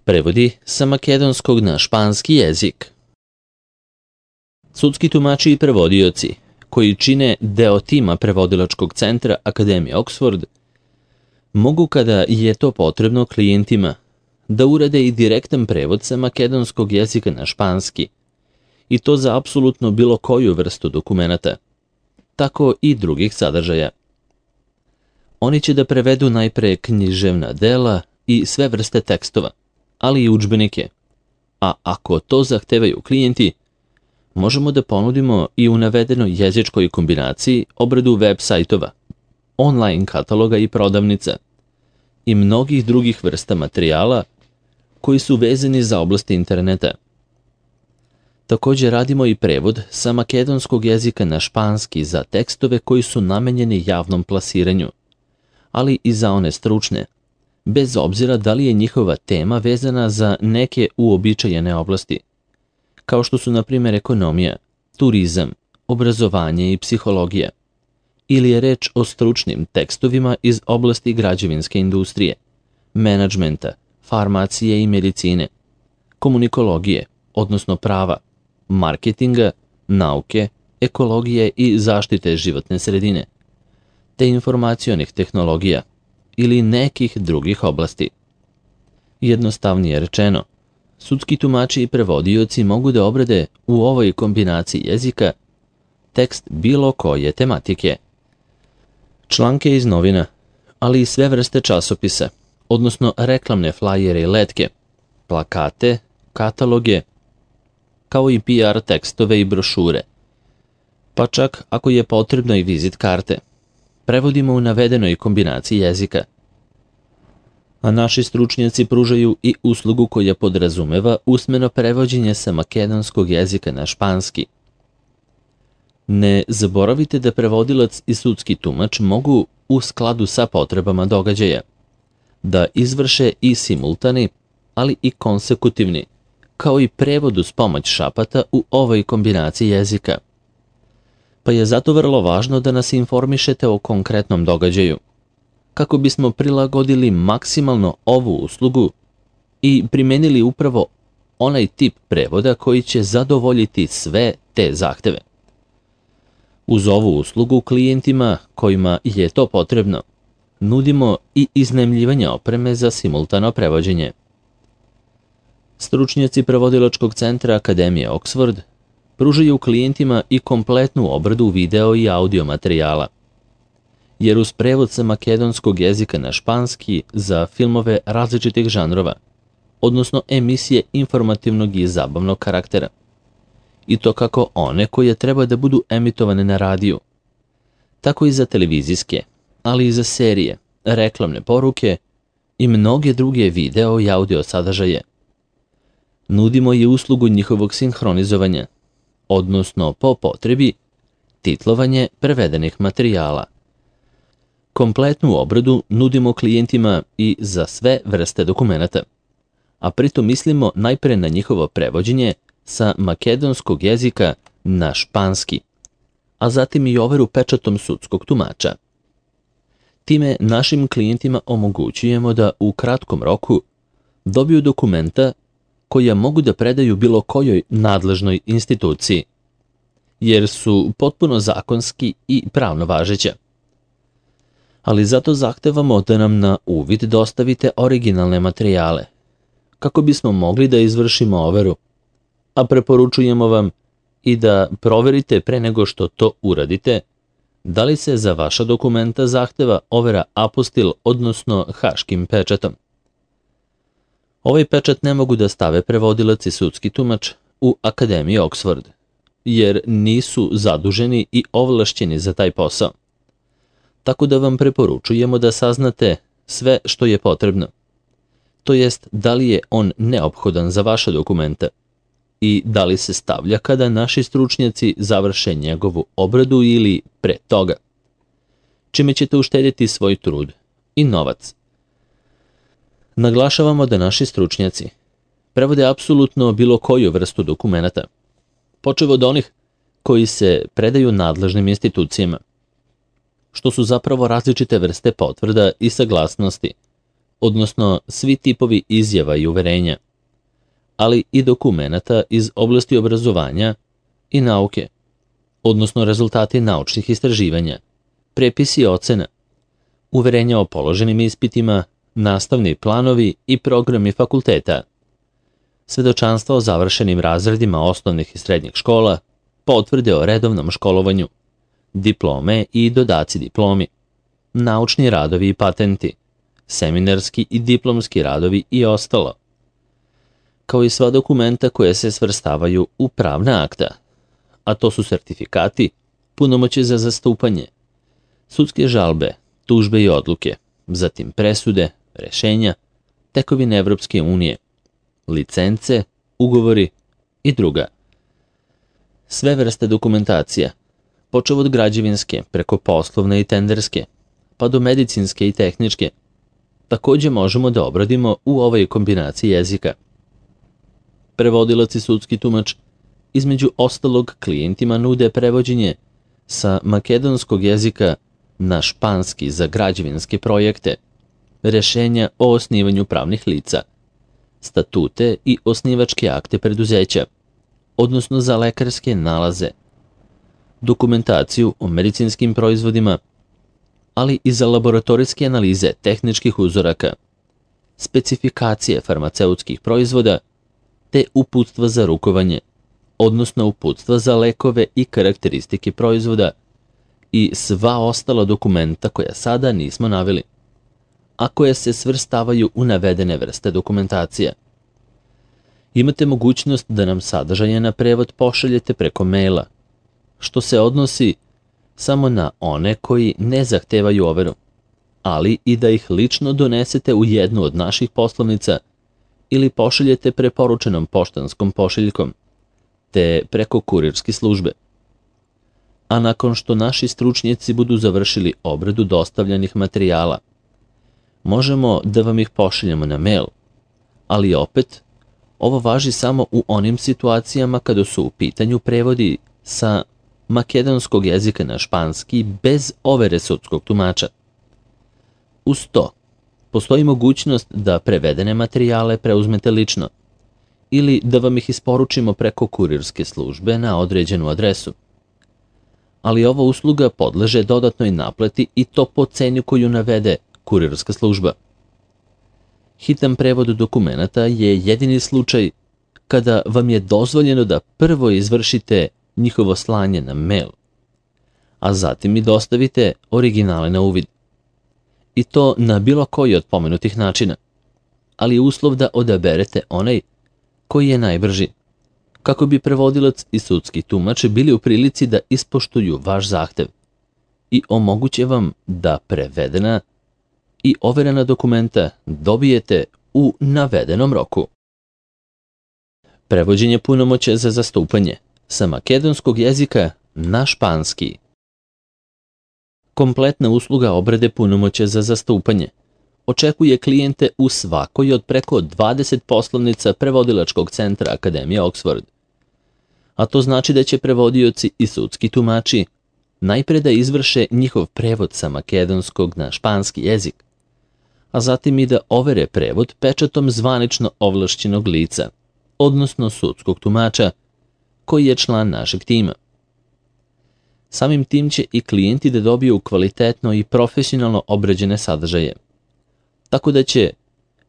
Prevodi sa makedonskog na španski jezik. Sudski tumači i prevodioci, koji čine deo tima prevodilačkog centra Akademije Oxford, mogu kada je to potrebno klijentima da urade i direktan prevod sa makedonskog jezika na španski, i to za apsolutno bilo koju vrstu dokumenata, tako i drugih sadržaja. Oni će da prevedu najpre književna dela i sve vrste tekstova, ali i udžbenike, a ako to zahtevaju klijenti, možemo da ponudimo i u navedenoj jezičkoj kombinaciji obradu web sajtova, online kataloga i prodavnica i mnogih drugih vrsta materijala koji su vezani za oblasti interneta. Također radimo i prevod sa makedonskog jezika na španski za tekstove koji su namenjeni javnom plasiranju, ali i za one stručne, bez obzira da li je njihova tema vezana za neke uobičajene oblasti, kao što su na primjer ekonomija, turizam, obrazovanje i psihologija, ili je reč o stručnim tekstovima iz oblasti građevinske industrije, menadžmenta, farmacije i medicine, komunikologije, odnosno prava, marketinga, nauke, ekologije i zaštite životne sredine, te informacionih tehnologija ili nekih drugih oblasti. Jednostavnije rečeno, sudski tumači i prevodioci mogu da obrade u ovoj kombinaciji jezika tekst bilo koje tematike. Članke iz novina, ali i sve vrste časopisa, odnosno reklamne flajere i letke, plakate, kataloge, kao i PR tekstove i brošure, pa čak ako je potrebno i vizit karte, prevodimo u navedenoj kombinaciji jezika. A naši stručnjaci pružaju i uslugu koja podrazumeva usmeno prevođenje sa makedonskog jezika na španski. Ne zaboravite da prevodilac i sudski tumač mogu, u skladu sa potrebama događaja, da izvrše i simultani, ali i konsekutivni, kao i prevod uz pomoć šapata u ovoj kombinaciji jezika. Pa je zato vrlo važno da nas informišete o konkretnom događaju, kako bismo prilagodili maksimalno ovu uslugu i primenili upravo onaj tip prevoda koji će zadovoljiti sve te zahteve. Uz ovu uslugu klijentima kojima je to potrebno, nudimo i iznajmljivanje opreme za simultano prevođenje. Stručnjaci prevodilačkog centra Akademije Oxford pružaju klijentima i kompletnu obradu video i audio materijala, jer uz prevod sa makedonskog jezika na španski za filmove različitih žanrova, odnosno emisije informativnog i zabavnog karaktera, i to kako one koje treba da budu emitovane na radiju, tako i za televizijske, ali i za serije, reklamne poruke i mnoge druge video i audio sadržaje. Nudimo i uslugu njihovog sinhronizovanja, odnosno po potrebi titlovanje prevedenih materijala. Kompletnu obradu nudimo klijentima i za sve vrste dokumenata, a pritom mislimo najpre na njihovo prevođenje sa makedonskog jezika na španski, a zatim i overu pečatom sudskog tumača. Time našim klijentima omogućujemo da u kratkom roku dobiju dokumenta koja mogu da predaju bilo kojoj nadležnoj instituciji, jer su potpuno zakonski i pravno važeća. Ali zato zahtevamo da nam na uvid dostavite originalne materijale, kako bismo mogli da izvršimo overu, a preporučujemo vam i da proverite pre nego što to uradite, da li se za vaša dokumenta zahteva overa apostil, odnosno haškim pečatom. Ovaj pečat ne mogu da stave prevodilac i sudski tumač u Akademiji Oxford, jer nisu zaduženi i ovlašćeni za taj posao. Tako da vam preporučujemo da saznate sve što je potrebno, to jest da li je on neophodan za vaše dokumenta i da li se stavlja kada naši stručnjaci završe njegovu obradu ili pre toga, čime ćete uštedjeti svoj trud i novac. Naglašavamo da naši stručnjaci prevode apsolutno bilo koju vrstu dokumenata, počev od onih koji se predaju nadležnim institucijama, što su zapravo različite vrste potvrda i saglasnosti, odnosno svi tipovi izjava i uverenja, ali i dokumenata iz oblasti obrazovanja i nauke, odnosno rezultati naučnih istraživanja, prepisi ocena, uverenja o položenim ispitima, nastavni planovi i programi fakulteta, svedočanstva o završenim razredima osnovnih i srednjih škola, potvrde o redovnom školovanju, diplome i dodaci diplomi, naučni radovi i patenti, seminarski i diplomski radovi i ostalo, kao i sva dokumenta koje se svrstavaju u pravna akta, a to su sertifikati, punomoći za zastupanje, sudske žalbe, tužbe i odluke, zatim presude, rešenja, tekovine Evropske unije, licence, ugovori i druga. Sve vrste dokumentacija, počev od građevinske, preko poslovne i tenderske, pa do medicinske i tehničke, takođe možemo da obradimo u ovoj kombinaciji jezika. Prevodilac i sudski tumač između ostalog klijentima nude prevođenje sa makedonskog jezika na španski za građevinske projekte, rešenja o osnivanju pravnih lica, statute i osnivačke akte preduzeća, odnosno za lekarske nalaze, dokumentaciju o medicinskim proizvodima, ali i za laboratorijske analize tehničkih uzoraka, specifikacije farmaceutskih proizvoda, te uputstva za rukovanje, odnosno uputstva za lekove i karakteristike proizvoda i sva ostala dokumenta koja sada nismo naveli, a koje se svrstavaju u navedene vrste dokumentacija. Imate mogućnost da nam sadržaje na prevod pošaljete preko maila, što se odnosi samo na one koji ne zahtevaju overu, ali i da ih lično donesete u jednu od naših poslovnica ili pošaljete preporučenom poštanskom pošiljkom, te preko kurirske službe. A nakon što naši stručnjaci budu završili obradu dostavljanih materijala, možemo da vam ih pošaljemo na mail, ali opet, ovo važi samo u onim situacijama kada su u pitanju prevodi sa makedonskog jezika na španski bez overe sudskog tumača. Uz to, postoji mogućnost da prevedene materijale preuzmete lično ili da vam ih isporučimo preko kurirske službe na određenu adresu. Ali ova usluga podleže dodatnoj naplati i to po ceni koju navede kurirska služba. Hitan prevod dokumenata je jedini slučaj kada vam je dozvoljeno da prvo izvršite njihovo slanje na mail, a zatim i dostavite originale na uvid. I to na bilo koji od pomenutih načina, ali je uslov da odaberete onaj koji je najbrži, kako bi prevodilac i sudski tumač bili u prilici da ispoštuju vaš zahtev i omoguće vam da prevedena i overena dokumenta dobijete u navedenom roku. Prevođenje punomoća za zastupanje sa makedonskog jezika na španski. Kompletna usluga obrade punomoća za zastupanje očekuje klijente u svakoj od preko 20 poslovnica prevodilačkog centra Akademije Oxford. A to znači da će prevodioci i sudski tumači najpre da izvrše njihov prevod sa makedonskog na španski jezik, a zatim i da overe prevod pečatom zvanično ovlašćenog lica, odnosno sudskog tumača, koji je član našeg tima. Samim tim će i klijenti da dobiju kvalitetno i profesionalno obrađene sadržaje, tako da će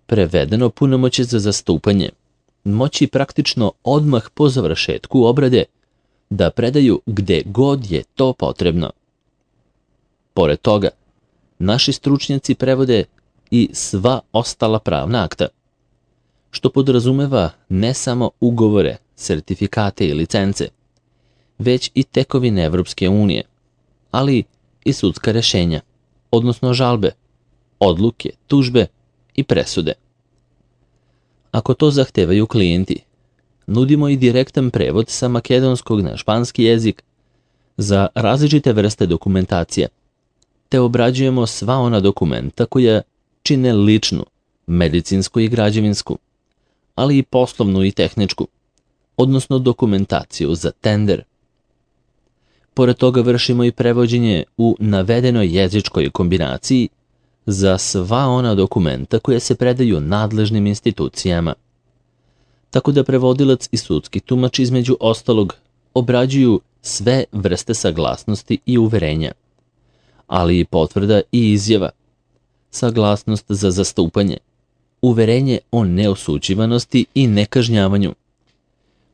prevedeno punomoćje za zastupanje moći praktično odmah po završetku obrade da predaju gde god je to potrebno. Pored toga, naši stručnjaci prevode i sva ostala pravna akta, što podrazumeva ne samo ugovore, sertifikate i licence, već i tekovine Evropske unije, ali i sudska rešenja, odnosno žalbe, odluke, tužbe i presude. Ako to zahtevaju klijenti, nudimo i direktan prevod sa makedonskog na španski jezik za različite vrste dokumentacija, te obrađujemo sva ona dokumenta koja čine ličnu, medicinsku i građevinsku, ali i poslovnu i tehničku, odnosno dokumentaciju za tender. Pored toga vršimo i prevođenje u navedenoj jezičkoj kombinaciji za sva ona dokumenta koja se predaju nadležnim institucijama. Tako da prevodilac i sudski tumač između ostalog obrađuju sve vrste saglasnosti i uverenja, ali i potvrda i izjava, saglasnost za zastupanje, uverenje o neosuđivanosti i nekažnjavanju,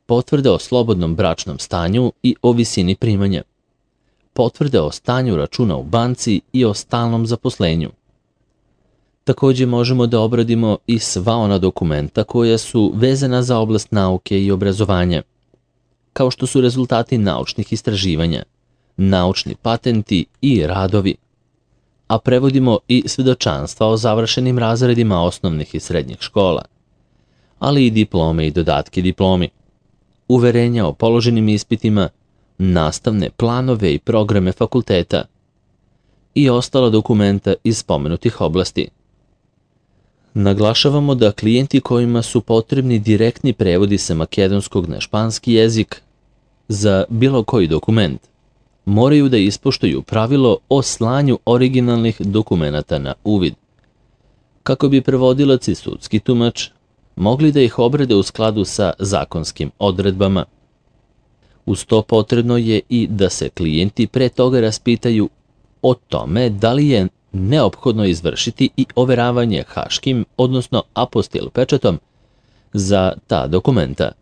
potvrde o slobodnom bračnom stanju i o visini primanja, potvrde o stanju računa u banci i o stalnom zaposlenju. Također možemo da obradimo i sva ona dokumenta koja su vezana za oblast nauke i obrazovanja, kao što su rezultati naučnih istraživanja, naučni patenti i radovi, a prevodimo i svedočanstva o završenim razredima osnovnih i srednjih škola, ali i diplome i dodatke diplomi, uverenja o položenim ispitima, nastavne planove i programe fakulteta i ostala dokumenta iz spomenutih oblasti. Naglašavamo da klijenti kojima su potrebni direktni prevodi sa makedonskog na španski jezik za bilo koji dokument moraju da ispoštuju pravilo o slanju originalnih dokumenata na uvid, kako bi prevodilac i sudski tumač mogli da ih obrade u skladu sa zakonskim odredbama. Uz to potrebno je i da se klijenti pre toga raspitaju o tome da li je neophodno izvršiti i overavanje haškim, odnosno apostil pečatom za ta dokumenta.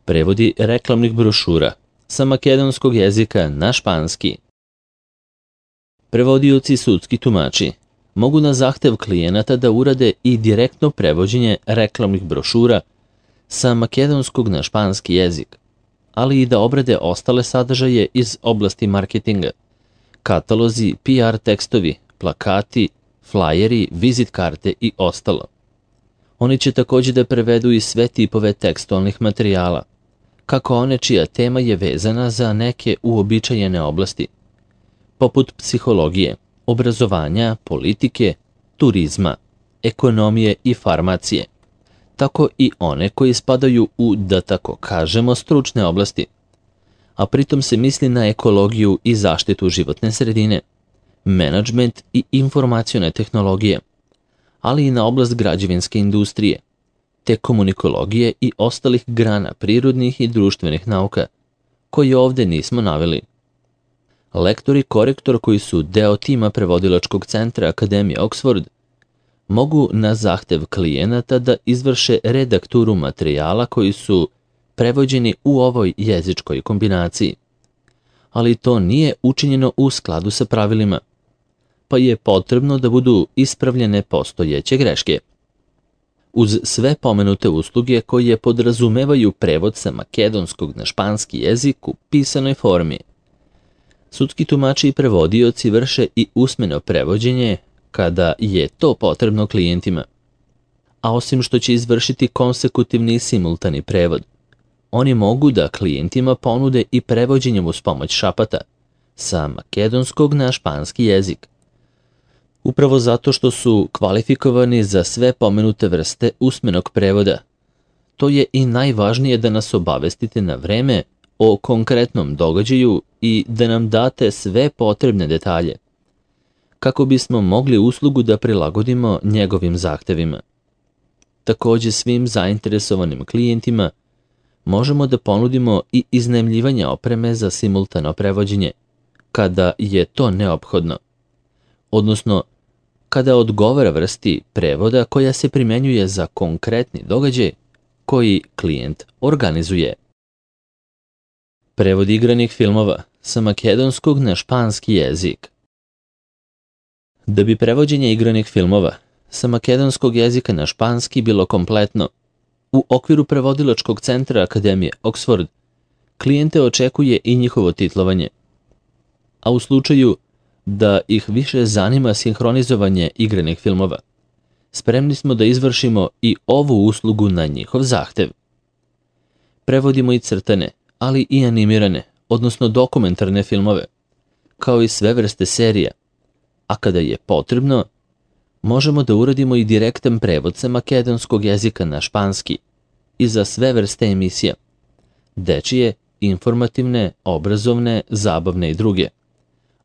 Prevodi reklamnih brošura sa makedonskog jezika na španski. Prevodioci i sudski tumači mogu na zahtev klijenata da urade i direktno prevođenje reklamnih brošura sa makedonskog na španski jezik, ali i da obrade ostale sadržaje iz oblasti marketinga, katalozi, PR tekstovi, plakati, flajeri, vizit karte i ostalo. Oni će također da prevedu i sve tipove tekstualnih materijala, kako one čija tema je vezana za neke uobičajene oblasti, poput psihologije, obrazovanja, politike, turizma, ekonomije i farmacije, tako i one koji spadaju u, da tako kažemo, stručne oblasti, a pritom se misli na ekologiju i zaštitu životne sredine, menadžment i informacione tehnologije, ali i na oblast građevinske industrije, te komunikologije i ostalih grana prirodnih i društvenih nauka, koje ovde nismo naveli. Lektor i korektor koji su deo tima prevodilačkog centra Akademije Oxford mogu na zahtev klijenata da izvrše redakturu materijala koji su prevođeni u ovoj jezičkoj kombinaciji, ali to nije učinjeno u skladu sa pravilima, pa je potrebno da budu ispravljene postojeće greške. Uz sve pomenute usluge koje podrazumevaju prevod sa makedonskog na španski jezik u pisanoj formi, sudski tumači i prevodioci vrše i usmeno prevođenje kada je to potrebno klijentima. A osim što će izvršiti konsekutivni i simultani prevod, oni mogu da klijentima ponude i prevođenjem uz pomoć šapata sa makedonskog na španski jezik. Upravo zato što su kvalifikovani za sve pomenute vrste usmenog prevoda. To je i najvažnije da nas obavestite na vreme o konkretnom događaju i da nam date sve potrebne detalje, kako bismo mogli uslugu da prilagodimo njegovim zahtevima. Također svim zainteresovanim klijentima možemo da ponudimo i iznajmljivanje opreme za simultano prevođenje, kada je to neophodno, odnosno kada odgovara vrsti prevoda koja se primjenjuje za konkretni događaj koji klijent organizuje. Prevod igranih filmova sa makedonskog na španski jezik. Da bi prevođenje igranih filmova sa makedonskog jezika na španski bilo kompletno, u okviru prevodilačkog centra Akademije Oxford klijente očekuje i njihovo titlovanje, a u slučaju da ih više zanima sinhronizovanje igranih filmova, spremni smo da izvršimo i ovu uslugu na njihov zahtev. Prevodimo i crtane, ali i animirane, odnosno dokumentarne filmove, kao i sve vrste serija, a kada je potrebno, možemo da uradimo i direktan prevod sa makedonskog jezika na španski i za sve vrste emisija, dečije, informativne, obrazovne, zabavne i druge,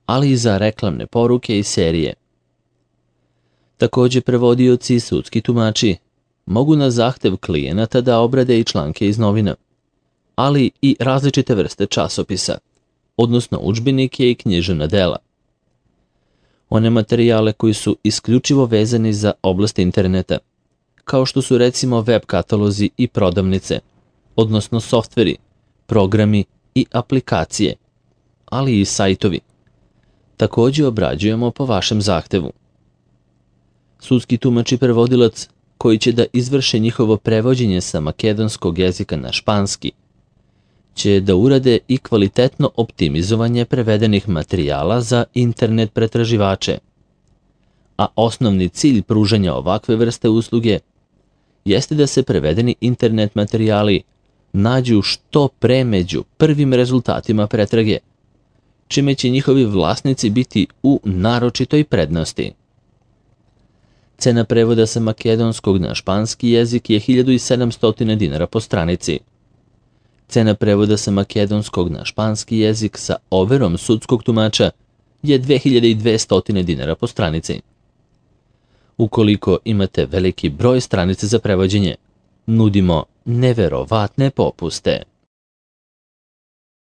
ali i za reklamne poruke i serije. Takođe, prevodioci i sudski tumači mogu na zahtev klijenata da obrade i članke iz novina, ali i različite vrste časopisa, odnosno udžbenike i književna dela. One materijale koji su isključivo vezani za oblast interneta, kao što su recimo web katalozi i prodavnice, odnosno softveri, programi i aplikacije, ali i sajtovi. Takođe obrađujemo po vašem zahtevu. Sudski tumač i prevodilac koji će da izvrše njihovo prevođenje sa makedonskog jezika na španski će da urade i kvalitetno optimizovanje prevedenih materijala za internet pretraživače, a osnovni cilj pružanja ovakve vrste usluge jeste da se prevedeni internet materijali nađu što pre među prvim rezultatima pretrage, čime će njihovi vlasnici biti u naročitoj prednosti. Cena prevoda sa makedonskog na španski jezik je 1700 dinara po stranici. Cena prevoda sa makedonskog na španski jezik sa overom sudskog tumača je 2200 dinara po stranici. Ukoliko imate veliki broj stranice za prevođenje, nudimo neverovatne popuste.